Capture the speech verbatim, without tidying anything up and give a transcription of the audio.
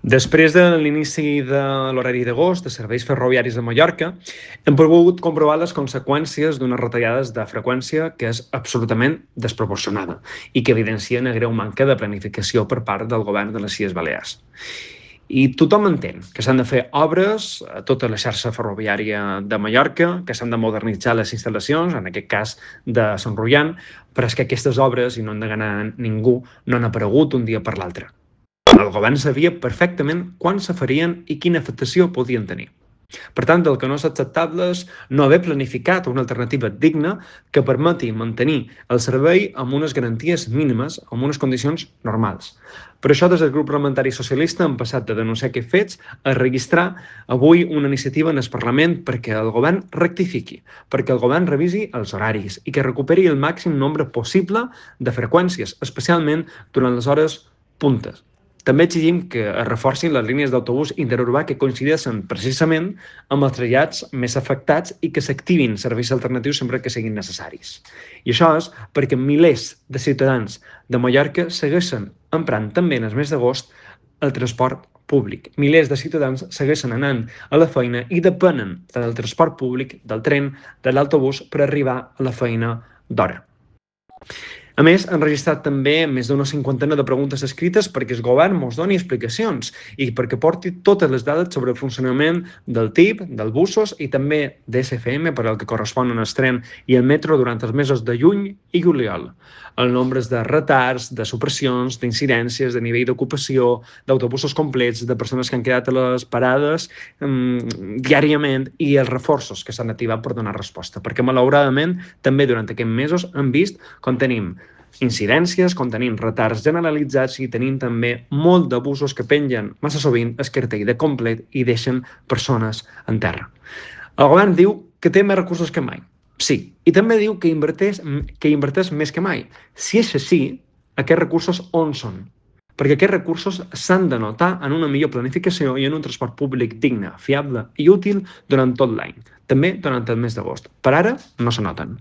Després de l'inici de l'horari d'agost de serveis ferroviaris a Mallorca, hem pogut comprovar les conseqüències d'unes retallades de freqüència que és absolutament desproporcionada i que evidencia una greu manca de planificació per part del govern de les Illes Balears. I tothom entén que s'han de fer obres a tota la xarxa ferroviària de Mallorca, que s'han de modernitzar les instal·lacions, en aquest cas de Sant Roian, però és que aquestes obres, i no han d'enganar ningú, no han aparegut un dia per l'altre. El govern sabia perfectament quan se farien i quina afectació podien tenir. Per tant, el que no és acceptable és no haver planificat una alternativa digna que permeti mantenir el servei amb unes garanties mínimes, amb unes condicions normals. Per això, des del grup parlamentari socialista hem passat de denunciar aquests fets a registrar avui una iniciativa en el Parlament perquè el govern rectifiqui, perquè el govern revisi els horaris i que recuperi el màxim nombre possible de freqüències, especialment durant les hores puntes. També exigim que es reforcin les línies d'autobús interurbà que coincideixen precisament amb els trasllats més afectats i que s'activin serveis alternatius sempre que siguin necessaris. I això és perquè milers de ciutadans de Mallorca segueixen emprant també en el mes d'agost el transport públic. Milers de ciutadans segueixen anant a la feina i depenen del transport públic, del tren, de l'autobús per arribar a la feina d'hora. A més, han registrat també més d'una cinquantena de preguntes escrites perquè el govern ens doni explicacions i perquè porti totes les dades sobre el funcionament del T I P, dels busos i també d'S F M per al que corresponen el tren i el metro durant els mesos de juny i juliol. El nombre de retards, de supressions, d'incidències, de nivell d'ocupació, d'autobusos complets, de persones que han quedat a les parades um, diàriament i els reforços que s'han activat per donar resposta. Perquè, malauradament, també durant aquests mesos hem vist com tenim incidències, com tenim retards generalitzats i tenim també molt d'abusos que pengen massa sovint el cartell de complet i deixen persones en terra. El govern diu que té més recursos que mai. Sí, i també diu que inverteix, que inverteix més que mai. Si és així, aquests recursos on són? Perquè aquests recursos s'han de notar en una millor planificació i en un transport públic digne, fiable i útil durant tot l'any, també durant el mes d'agost. Per ara no se noten.